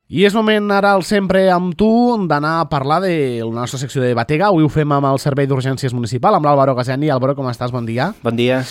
I és moment ara, al Sempre amb tu, d'anar a parlar de la nostra secció de Batega. Avui ho fem amb el Servei d'Urgències Municipal, amb l'Álvaro Gazeni. Álvaro, com estàs? Bon dia. Bon dia.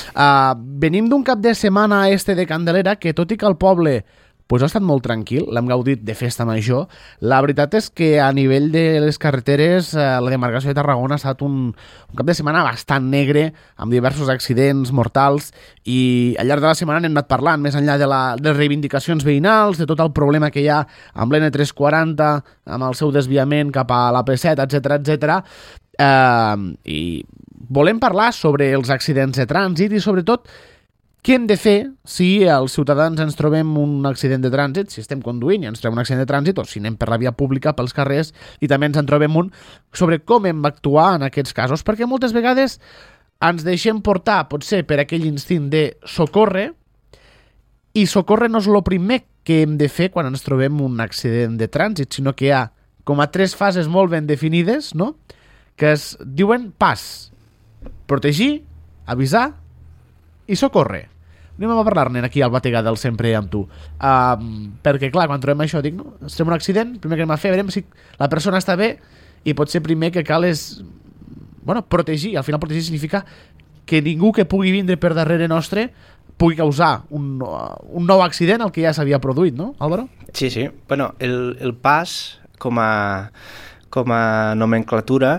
Venim d'un cap de setmana de Candelera que, tot i que el poble ha estat molt tranquil, l'hem gaudit de festa major, la veritat és que a nivell de les carreteres la demarcació de Tarragona ha estat un cap de setmana bastant negre, amb diversos accidents mortals, i al llarg de la setmana n'hem anat parlant, més enllà de les reivindicacions veïnals, de tot el problema que hi ha amb l'N340, amb el seu desviament cap a l'AP7, etc. I volem parlar sobre els accidents de trànsit i, sobretot, què hem de fer si els ciutadans ens trobem un accident de trànsit, si estem conduint i ens trobem un accident de trànsit, o si anem per la via pública, pels carrers, i també ens en trobem un, sobre com hem d'actuar en aquests casos, perquè moltes vegades ens deixem portar, potser, per aquell instint de socórrer, i socórrer no és el primer que hem de fer quan ens trobem un accident de trànsit, sinó que hi ha com a 3 fases molt ben definides, no?, que es diuen PAS: protegir, avisar i socórrer. Anem a parlar-ne aquí al Batega del Sempre amb tu. Perquè, clar, quan trobem això, dic, no? Estem en un accident, primer que anem a fer, veurem si la persona està bé, i potser primer que cal és, protegir. Al final protegir significa que ningú que pugui vindre per darrere nostre pugui causar un nou accident al que ja s'havia produït, no, Álvaro? Sí. Bueno, el PAS, com a nomenclatura,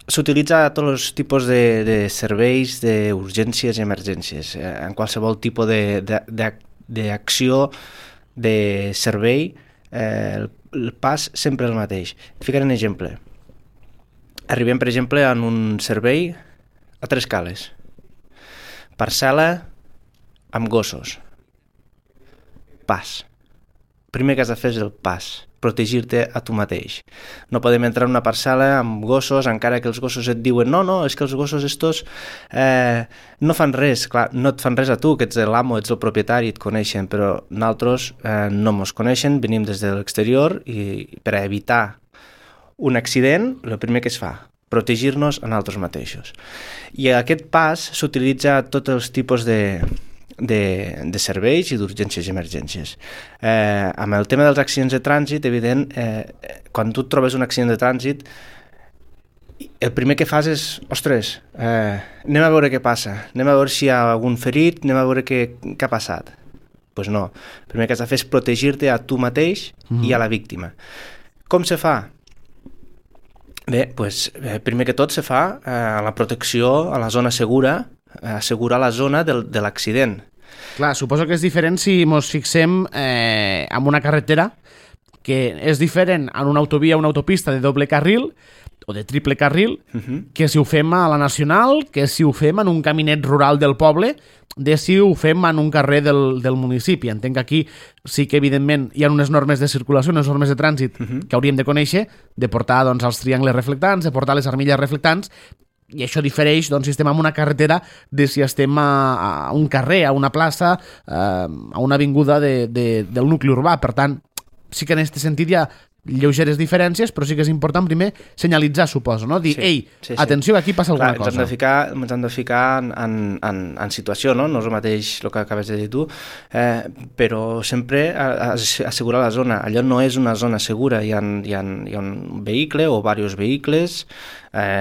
s'utilitza a tots els tipus de serveis d'urgències i emergències. En qualsevol tipus d'acció, de servei, el pas sempre el mateix. Et ficaré un exemple. Arribem, per exemple, en un servei a 3 cales. Parcel·la amb gossos. Pas. Primer que has de fer és el pas. Protegir-te a tu mateix. No podem entrar en una parcel·la amb gossos, encara que els gossos et diuen no, és que els gossos estos no fan res. Clar, no et fan res a tu, que ets l'amo, ets el propietari, et coneixen, però nosaltres no mos coneixen, venim des de l'exterior, i per a evitar un accident, el primer que es fa, protegir-nos a nosaltres mateixos. I aquest pas s'utilitza a tots els tipus de serveis i d'urgències i emergències. Amb el tema dels accidents de trànsit, evident, quan tu et trobes un accident de trànsit, el primer que fas és, ostres, anem a veure què passa, anem a veure si hi ha algun ferit, anem a veure què ha passat. Doncs no, el primer que has de fer és protegir-te a tu mateix i a la víctima. Com se fa? Bé, primer que tot se fa la protecció a la zona segura, assegurar la zona de l'accident. Clar, suposo que és diferent si ens fixem en una carretera, que és diferent en una autovia o una autopista de doble carril o de triple carril, que si ho fem a la Nacional, que si ho fem en un caminet rural del poble, de si ho fem en un carrer del municipi. Entenc que aquí sí que, evidentment, hi ha unes normes de circulació, unes normes de trànsit que hauríem de conèixer, de portar els triangles reflectants, de portar les armilles reflectants, i això difereix si estem en una carretera de si estem a un carrer, a una plaça, a una avinguda del nucli urbà. Per tant, sí que en aquest sentit hi ha lleugeres diferències, però sí que és important primer senyalitzar, suposo, no? Dir, sí. Atenció, aquí passa alguna cosa. Ens hem de ficar en situació, no? No és el mateix el que acabes de dir tu, però sempre assegurar la zona. Allò no és una zona segura, hi ha un vehicle o diversos vehicles,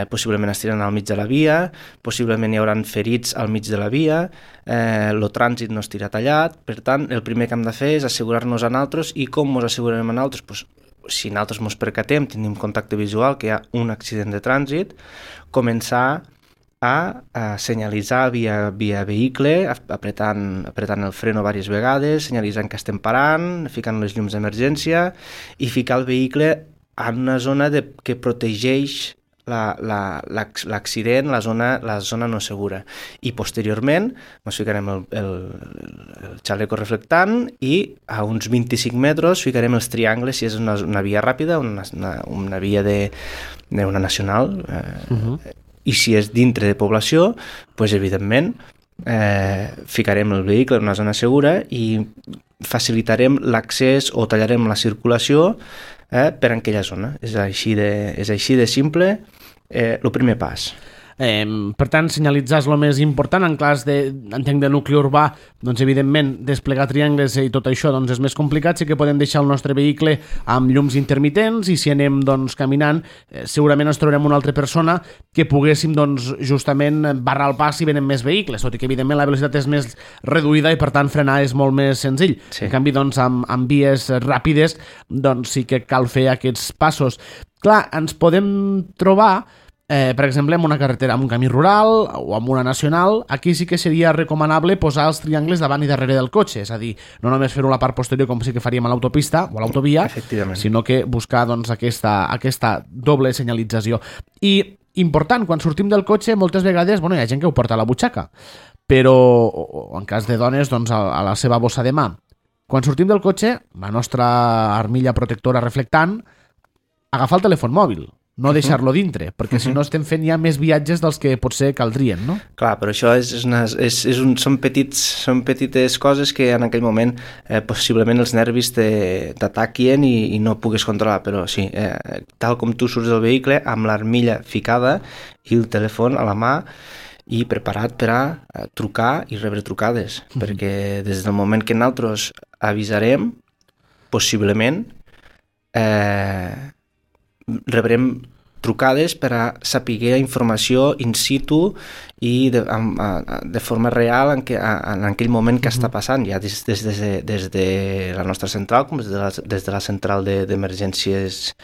possiblement estiran al mig de la via, possiblement hi haurà ferits al mig de la via, el trànsit no estirà tallat. Per tant, el primer que hem de fer és assegurar-nos a nosaltres. I com ens assegurarem a nosaltres? Si nosaltres ens percatem, tenim contacte visual que hi ha un accident de trànsit, començar a senyalitzar via vehicle, apretant el freno diverses vegades, senyalitzant que estem parant, ficant les llums d'emergència i ficar el vehicle en una zona que protegeix l'accident, la zona no segura. I posteriorment ens ficarem el xaleco reflectant i a uns 25 metres ficarem els triangles si és una via ràpida, una via d'una nacional, i si és dintre de població, evidentment ficarem el vehicle en una zona segura i facilitarem l'accés o tallarem la circulació per aquella zona. És així de simple. El primer pas. Per tant, senyalitzar és el més important. En cas entenc de nucli urbà, doncs evidentment desplegar triangles i tot això doncs és més complicat. Sí que podem deixar el nostre vehicle amb llums intermitents i si anem doncs caminant segurament ens trobarem una altra persona que poguéssim doncs justament barrar el pas si venen més vehicles, tot i que evidentment la velocitat és més reduïda i per tant frenar és molt més senzill. Sí. En canvi doncs amb vies ràpides doncs sí que cal fer aquests passos. Clar, ens podem trobar per exemple, en una carretera, en un camí rural o en una nacional, aquí sí que seria recomanable posar els triangles davant i darrere del cotxe, és a dir, no només fer-ho a la part posterior com sí que faríem a l'autopista o a l'autovia, sinó que buscar doncs, aquesta doble senyalització. I important, quan sortim del cotxe, moltes vegades hi ha gent que ho porta a la butxaca, però o en cas de dones doncs, a la seva bossa de mà. Quan sortim del cotxe, la nostra armilla protectora reflectant, agafar el telèfon mòbil, no deixar-lo dintre, perquè si no estem fent ja més viatges dels que potser caldrien, no? Clar, però això són petites coses que en aquell moment possiblement els nervis t'ataquen i no pugues controlar, però sí, tal com tu surts del vehicle, amb l'armilla ficada i el telèfon a la mà i preparat per a trucar i rebre trucades, perquè des del moment que nosaltres avisarem, possiblement rebrem trucades per a saber informació in situ i de forma real en aquell moment que està passant, ja des de la nostra central com des de la central d'emergències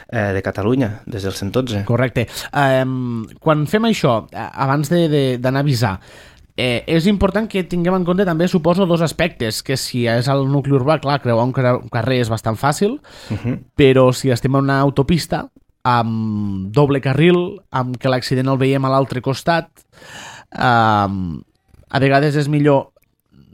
de Catalunya, des del 112. Correcte. Quan fem això, abans d'anar a avisar, és important que tinguem en compte també, suposo, dos aspectes, que si és al nucli urbà, clar, creuar un carrer és bastant fàcil, però si estem en una autopista amb doble carril, amb que l'accident el veiem a l'altre costat, a vegades és millor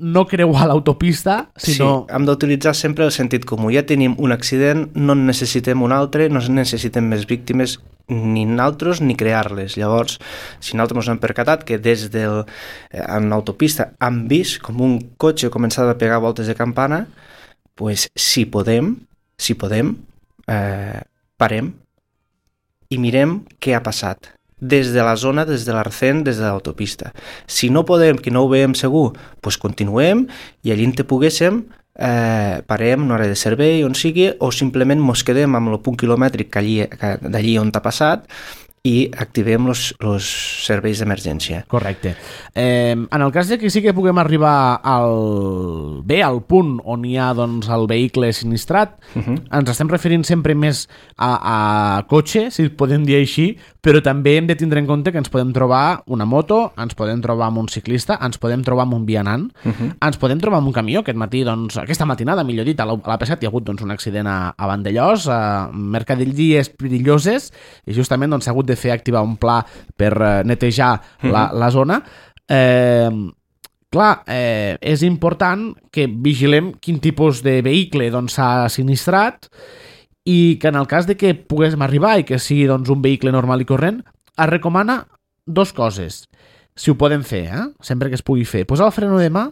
no creuar l'autopista, sinó... Sí, hem d'utilitzar sempre el sentit comú. Ja tenim un accident, no en necessitem un altre, no necessitem més víctimes, ni nosaltres ni crear-les. Llavors, si nosaltres ens hem percatat que en l'autopista hem vist com un cotxe començava a pegar voltes de campana, pues, si podem, parem i mirem què ha passat des de la zona, des de l'arcén, des de l'autopista. Si no podem, que no ho veiem segur, doncs continuem i allí on poguéssim parem una hora de servei on sigui o simplement mos quedem amb el punt quilomètric d'allí on t'ha passat i activem els serveis d'emergència. Correcte. En el cas de que sí que puguem arribar al punt on hi ha doncs, el vehicle sinistrat, ens estem referint sempre més a cotxe, si podem dir així, però també hem de tindre en compte que ens podem trobar una moto, ens podem trobar amb un ciclista, ens podem trobar amb un vianant, ens podem trobar amb un camió. Aquesta matinada, millor dit, a l'AP7 hi ha hagut doncs, un accident a Vandellòs, a mercaderies perilloses, i justament doncs, s'ha hagut de fer activar un pla per netejar la zona. Clar, és important que vigilem quin tipus de vehicle doncs, s'ha sinistrat i que en el cas de que poguéssim arribar i que sigui doncs, un vehicle normal i corrent, es recomana dues coses, si ho podem fer, sempre que es pugui fer. Posar el freno de mà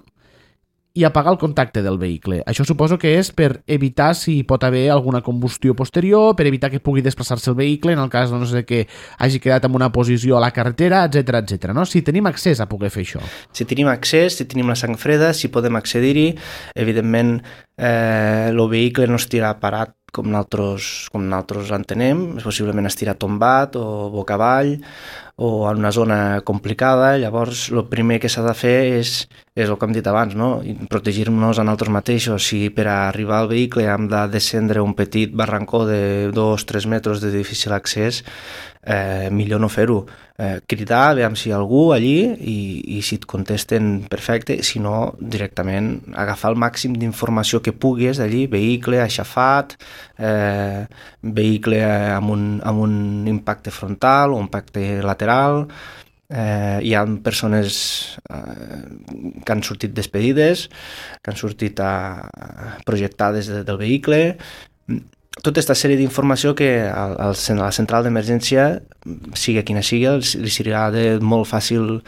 i apagar el contacte del vehicle. Això suposo que és per evitar si pot haver alguna combustió posterior, per evitar que pugui desplaçar-se el vehicle en el cas doncs, de que hagi quedat en una posició a la carretera, etc. No? Si tenim accés a poder fer això. Si tenim accés, si tenim la sang freda, si podem accedir-hi, evidentment el vehicle no estirà parat com nosaltres l'entenem, possiblement estirà tombat o boca avall o en una zona complicada. Llavors el primer que s'ha de fer és el que hem dit abans, no? Protegir-nos a nosaltres mateixos. Si per arribar al vehicle hem de descendre un petit barrancó de 2-3 metres de difícil accés, millor no fer-ho. Cridar, veure si hi ha algú allí i si et contesten, perfecte, si no, directament agafar el màxim d'informació que puguis d'allí, vehicle aixafat, vehicle amb un impacte frontal o un impacte lateral. Hi ha persones que han sortit despedides, que han sortit projectades del vehicle. Tota aquesta sèrie d'informació que a la central d'emergència, sigui quina sigui, li serà molt fàcil,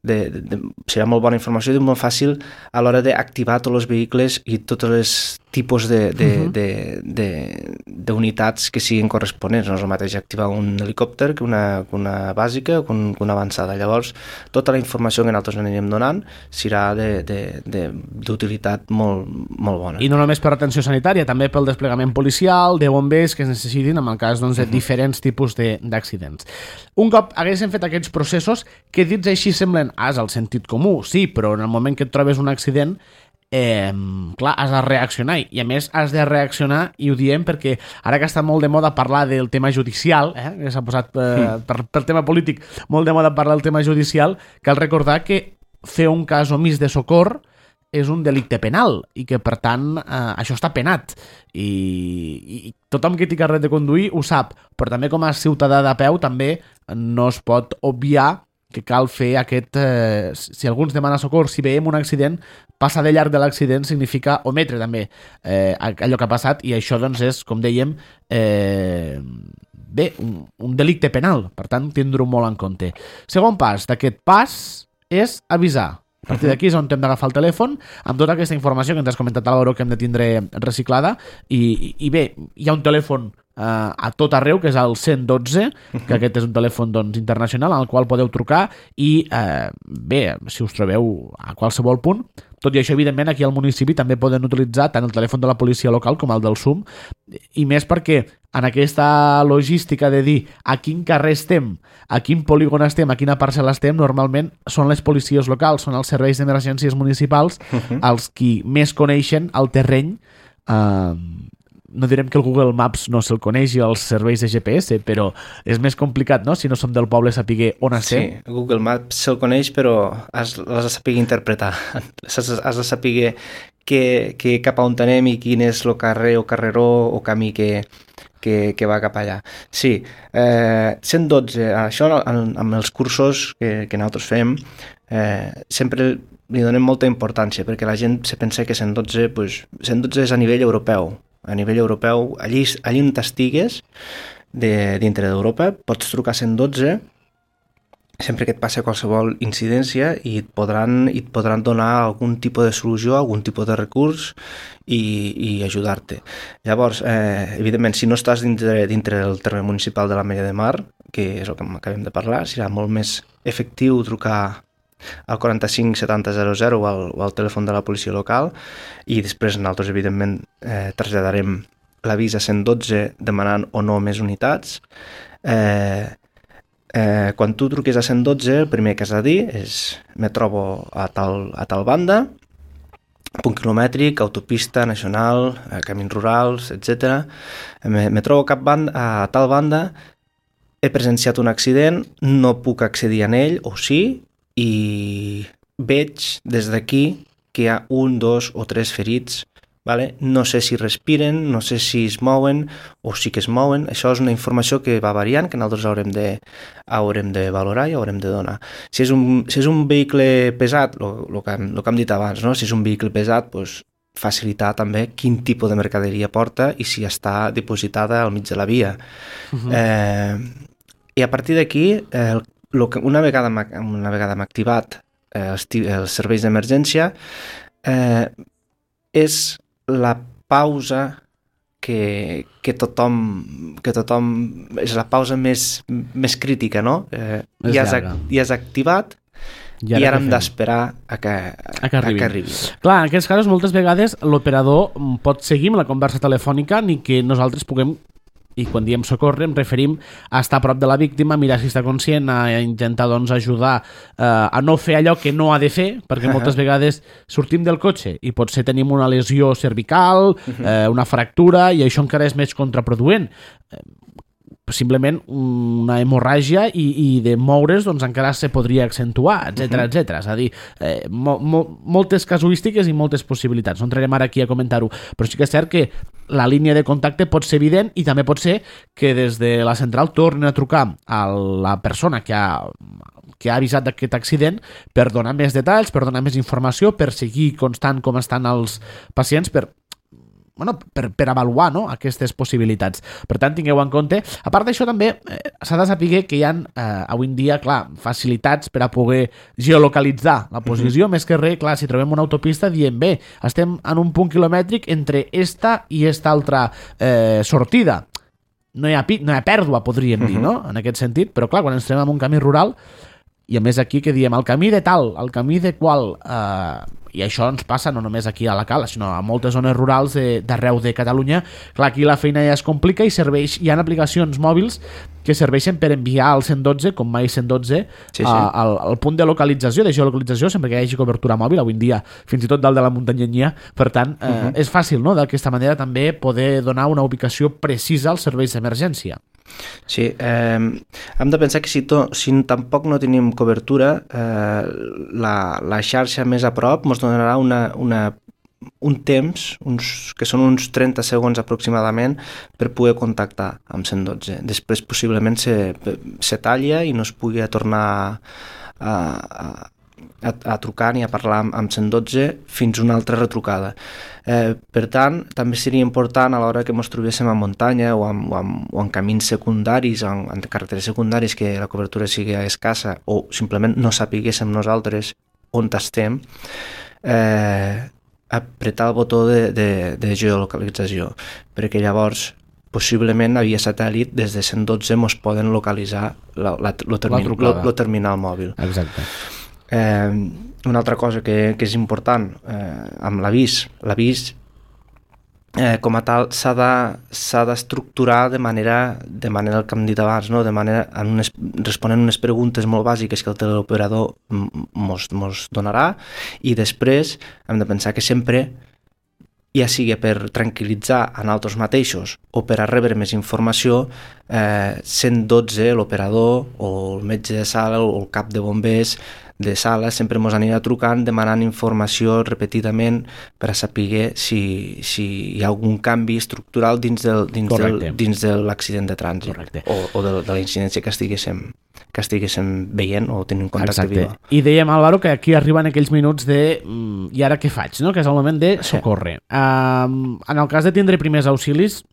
serà molt bona informació i molt fàcil a l'hora d'activar tots els vehicles i tots els tipus de d'unitats que siguin corresponents. No és el mateix activar un helicòpter que una bàsica o que una avançada. Llavors, tota la informació que nosaltres anirem donant serà d'utilitat molt, molt bona. I no només per atenció sanitària, també pel desplegament policial, de bombers que es necessitin en el cas doncs, de diferents tipus d'accidents. Un cop haguessin fet aquests processos, que dits així semblen al sentit comú, sí, però en el moment que et trobes un accident, clar, has de reaccionar, i a més has de reaccionar, i ho diem perquè ara que està molt de moda parlar del tema judicial, que s'ha posat per tema polític molt de moda parlar del tema judicial, cal recordar que fer un cas omís de socor és un delicte penal i que per tant això està penat i tothom que té carnet de conduir ho sap, però també com a ciutadà de peu també no es pot obviar que cal fer aquest... si algú ens demana socors, si veiem un accident, passar de llarg de l'accident significa ometre també allò que ha passat, i això doncs és, com dèiem, un delicte penal, per tant tindre-ho molt en compte. Segon pas d'aquest pas és avisar. A partir d'aquí és on hem d'agafar el telèfon amb tota aquesta informació que ens has comentat, Álvaro, que hem de tindre reciclada, i bé, hi ha un telèfon a tot arreu, que és el 112, que aquest és un telèfon doncs, internacional al qual podeu trucar i bé, si us trobeu a qualsevol punt. Tot i això, evidentment, aquí al municipi també poden utilitzar tant el telèfon de la policia local com el del SUM, i més perquè en aquesta logística de dir a quin carrer estem, a quin polígon estem, a quina parcel·la estem, normalment són les policies locals, són els serveis d'emergències municipals els qui més coneixen el terreny. No direm que el Google Maps no se'l coneixi els serveis de GPS, però és més complicat, no?, si no som del poble, saber on estem. Sí, Google Maps se'l coneix, però has de saber interpretar. Has de saber cap a on anem i quin és el carrer o carreró o camí que va cap allà. Sí, 112, això amb els cursos que nosaltres fem, sempre li donem molta importància, perquè la gent se pensa que 112, pues, 112 és a nivell europeu. A nivell europeu, allí on t'estigues, dintre d'Europa, pots trucar 112 sempre que et passi qualsevol incidència i et podran donar algun tipus de solució, algun tipus de recurs i ajudar-te. Llavors, evidentment, si no estàs dintre del terme municipal de l'Ametlla de Mar, que és el que acabem de parlar, serà molt més efectiu trucar al 45 70 00 o al telèfon de la policia local, i després nosaltres evidentment traslladarem l'avís a 112 demanant o no més unitats. Quan tu truques a 112, el primer que has de dir és me trobo a tal banda, punt quilomètric, autopista nacional, camins rurals, etc. Me trobo a tal banda, he presenciat un accident, no puc accedir a ell, o sí, i veig des d'aquí que hi ha 1, 2 o 3 ferits, vale? No sé si respiren, no sé si es mouen o sí que es mouen. Això és una informació que va variant, que nosaltres haurem de valorar i haurem de donar. Si és un vehicle pesat, el que hem dit abans, no? Si és un vehicle pesat, doncs, facilitar també quin tipus de mercaderia porta i si està dipositada al mig de la via. I a partir d'aquí, una vegada hem activat els serveis d'emergència, és la pausa que tothom és la pausa més crítica, no? Ja has activat i ara hem d'esperar a que arribi. Clar, en aquests casos moltes vegades l'operador pot seguir amb la conversa telefònica ni que nosaltres puguem, i quan diem socórrer em referim a estar a prop de la víctima, mirar si està conscient, a intentar doncs, ajudar a no fer allò que no ha de fer, perquè moltes vegades sortim del cotxe i potser tenim una lesió cervical, una fractura, i això encara és més contraproduent. Simplement una hemorràgia i de moure's doncs encara se podria accentuar, etc etc. És a dir, moltes casuístiques i moltes possibilitats. No entrarem ara aquí a comentar-ho, però sí que és cert que la línia de contacte pot ser evident i també pot ser que des de la central tornin a trucar a la persona que ha avisat d'aquest accident per donar més detalls, per donar més informació, per seguir constant com estan els pacients, per per avaluar, no?, aquestes possibilitats. Per tant, tingueu en compte. A part d'això, també s'ha de saber que hi ha avui en dia, clar, facilitats per a poder geolocalitzar la posició, més que res, clar, si trobem una autopista diem, bé, estem en un punt quilomètric entre esta i esta altra sortida. No hi ha pèrdua, podríem dir, no?, en aquest sentit, però clar, quan ens trobem en un camí rural, i a més aquí que diem el camí de tal, el camí de qual, i això ens passa no només aquí a la Cala, sinó a moltes zones rurals d'arreu de Catalunya. Clar, aquí la feina ja es complica i hi ha aplicacions mòbils que serveixen per enviar al 112, com mai 112, al punt de localització, de geolocalització, sempre que hi hagi cobertura mòbil, avui en dia, fins i tot dalt de la muntanyenya. Per tant, és fàcil, no?, d'aquesta manera també poder donar una ubicació precisa als serveis d'emergència. Sí, hem de pensar que si tampoc no tenim cobertura, la xarxa més a prop ens donarà un temps, que són uns 30 segons aproximadament, per poder contactar amb 112. Després possiblement se talla i no es pugui tornar a trucar ni a parlar amb 112 fins una altra retrucada. Per tant, també seria important a l'hora que ens trobéssim a muntanya o en camins secundaris, en carreteres secundaris, que la cobertura sigui escassa o simplement no sapiguéssim nosaltres on estem, apretar el botó de geolocalització, perquè llavors possiblement via satèl·lit des de 112 ens poden localitzar el terminal mòbil. Exacte. Una altra cosa que és important amb l'avís com a tal s'ha d'estructurar de manera el que hem dit abans, no? Responent unes preguntes molt bàsiques que el teleoperador mos donarà, i després hem de pensar que sempre, ja sigui per tranquil·litzar a nosaltres mateixos o per a rebre més informació, 112, l'operador o el metge de sala o el cap de bombers de sala sempre ens anirà trucant demanant informació repetidament per a saber si hi ha algun canvi estructural dins de l'accident de trànsit o de la incidència que estiguéssim veient o tenint contacte viu. I dèiem, Álvaro, que aquí arriben aquells minuts de i ara què faig, no?, que és el moment de socórrer. En el cas de tindre primers auxilis,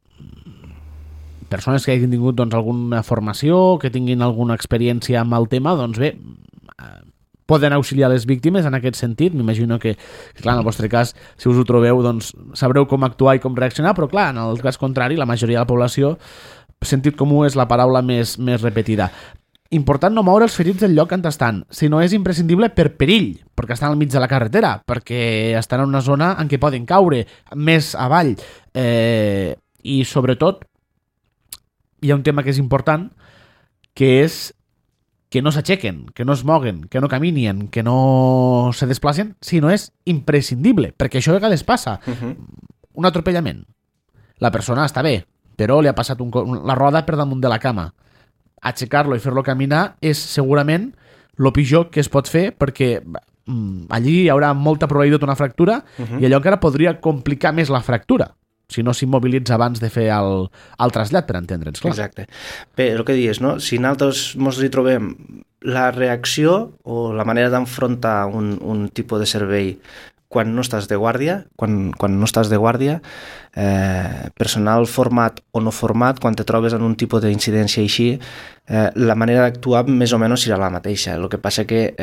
persones que hagin tingut alguna formació, que tinguin alguna experiència amb el tema, doncs bé, poden auxiliar les víctimes en aquest sentit. M'imagino que, clar, en el vostre cas, si us ho trobeu, doncs sabreu com actuar i com reaccionar, però clar, en el cas contrari, la majoria de la població, sentit comú és la paraula més repetida. Important no moure els ferits del lloc on estan, si no és imprescindible per perill, perquè estan al mig de la carretera, perquè estan en una zona en què poden caure més avall, i sobretot hi ha un tema que és important, que és que no s'aixequen, que no es moguen, que no caminen, que no se desplacen, si no és imprescindible, perquè això a vegades passa. Un atropellament. La persona està bé, però li ha passat la roda per damunt de la cama. Aixecar-lo i fer-lo caminar és segurament el pitjor que es pot fer, perquè allí hi haurà molta probabilitat d'una fractura i allò encara podria complicar més la fractura si no s'immobilitza abans de fer el trasllat, per entendre'ns, clar. Exacte. Bé, el que dius, no? Si nosaltres ens hi trobem, la reacció o la manera d'enfrontar un tipus de servei quan no estàs de guàrdia, personal format o no format, quan te trobes en un tipus d'incidència així, la manera d'actuar més o menys serà la mateixa. El que passa que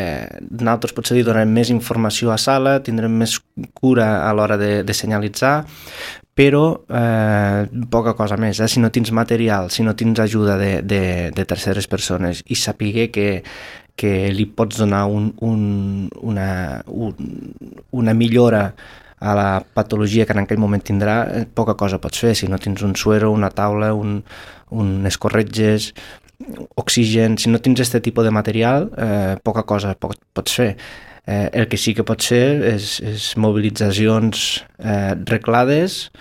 nosaltres potser li donem més informació a sala, tindrem més cura a l'hora de senyalitzar, però poca cosa més. Si no tens material, si no tens ajuda de terceres persones i saber que li pots donar una millora a la patologia que en aquell moment tindrà, poca cosa pots fer. Si no tens un suero, una taula, unes corretges, oxigen, si no tens aquest tipus de material, poca cosa pots fer. El que sí que pot ser és mobilitzacions reglades,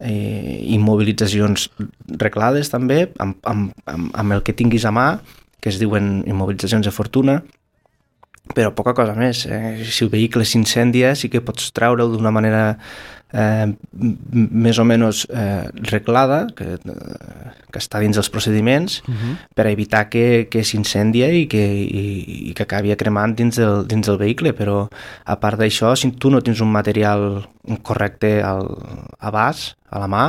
immobilitzacions reglades també, amb el que tinguis a mà, que es diuen immobilitzacions de fortuna, però poca cosa més. Si el vehicle s'incendia sí que pots treure'l d'una manera més o menys reglada, que està dins dels procediments, per evitar que s'incendia i que acabi cremant dins del vehicle, però a part d'això, si tu no tens un material correcte a l'abast, a la mà,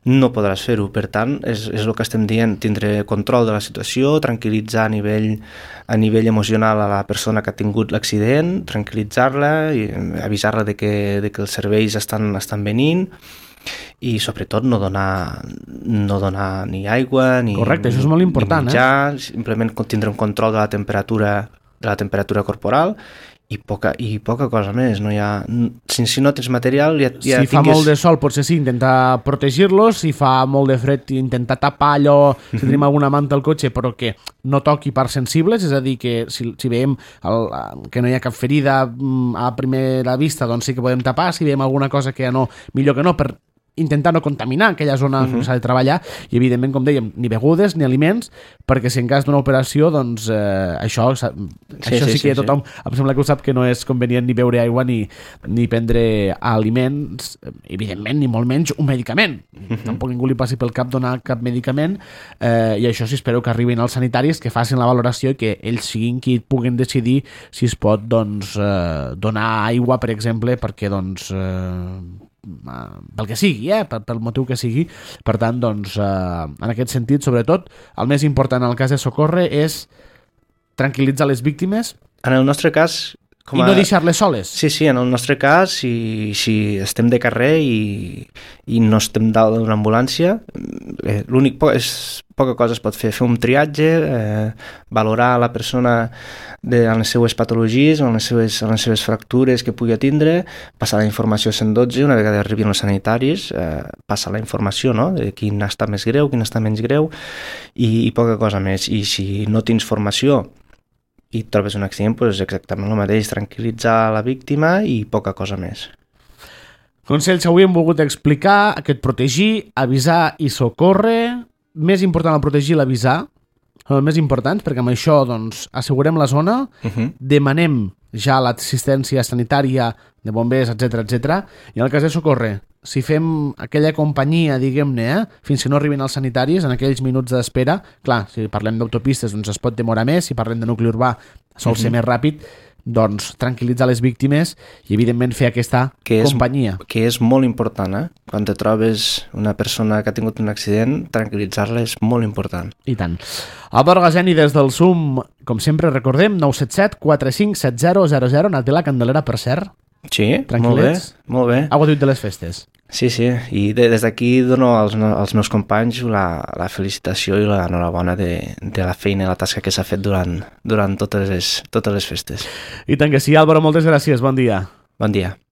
no podràs fer-ho. Per tant, és el que estem dient, tindre control de la situació, tranquil·litzar a nivell emocional a la persona que ha tingut l'accident, tranquil·litzar-la i avisar-la de que els serveis estan venint i sobretot no donar ni aigua ni, correcte, això és molt important, ni menjar, simplement tindre un control de la temperatura corporal i poca cosa més. No hi ha, si no tens material si fa molt de sol potser sí, intentar protegir-los, si fa molt de fred intentar tapar allò, si tenim alguna manta al cotxe però que no toqui parts sensibles, és a dir que si veiem que no hi ha cap ferida a primera vista, doncs sí que podem tapar, si veiem alguna cosa que no, millor que no, per intentar no contaminar aquella zona on s'ha de treballar i evidentment, com dèiem, ni begudes ni aliments, perquè si en cas d'una operació doncs això sí que tothom em sembla que ho sap, que no és convenient ni beure aigua ni prendre aliments, evidentment, ni molt menys un medicament. Tampoc ningú li passi pel cap donar cap medicament i això sí, espero que arribin els sanitaris, que facin la valoració i que ells siguin qui puguin decidir si es pot doncs donar aigua, per exemple, perquè doncs pel que sigui, pel motiu que sigui. Per tant, doncs, en aquest sentit, sobretot, el més important en el cas de Socorre és tranquil·litzar les víctimes. En el nostre cas... I no deixar-les soles. Sí, en el nostre cas, si estem de carrer i no estem dalt d'una ambulància, l'únic poca cosa es pot fer un triatge, valorar la persona en les seues patologies, en les seves fractures que pugui tindre, passar la informació a 112, una vegada arribin els sanitaris, passar la informació, no?, de quin està més greu, quin està menys greu, i poca cosa més. I si no tens formació i trobes un accident, doncs exactament el mateix, tranquil·litzar la víctima i poca cosa més. Consells que avui hem volgut explicar, aquest protegir, avisar i socórrer. Més important el protegir i l'avisar, són els més importants, perquè amb això doncs, assegurem la zona, demanem ja l'assistència sanitària de bombers, etc. I en el cas de socórrer, si fem aquella companyia, diguem-ne, fins que no arribin els sanitaris, en aquells minuts d'espera, clar, si parlem d'autopistes doncs es pot demorar més, si parlem de nucli urbà sol ser més ràpid, doncs tranquil·litzar les víctimes i evidentment fer aquesta companyia. Que és molt important, Quan te trobes una persona que ha tingut un accident, tranquil·litzar-la és molt important. I tant. Álvaro Gazeni des del SUM, com sempre recordem, 977 45 7000, anat de la Candelera, per cert. Sí, molt bé. Ha gaudit de les festes. Sí, i des d'aquí dono als meus companys la felicitació i l'enhorabona de la feina i la tasca que s'ha fet durant totes les festes. I tant que sí, Álvaro, moltes gràcies, bon dia. Bon dia.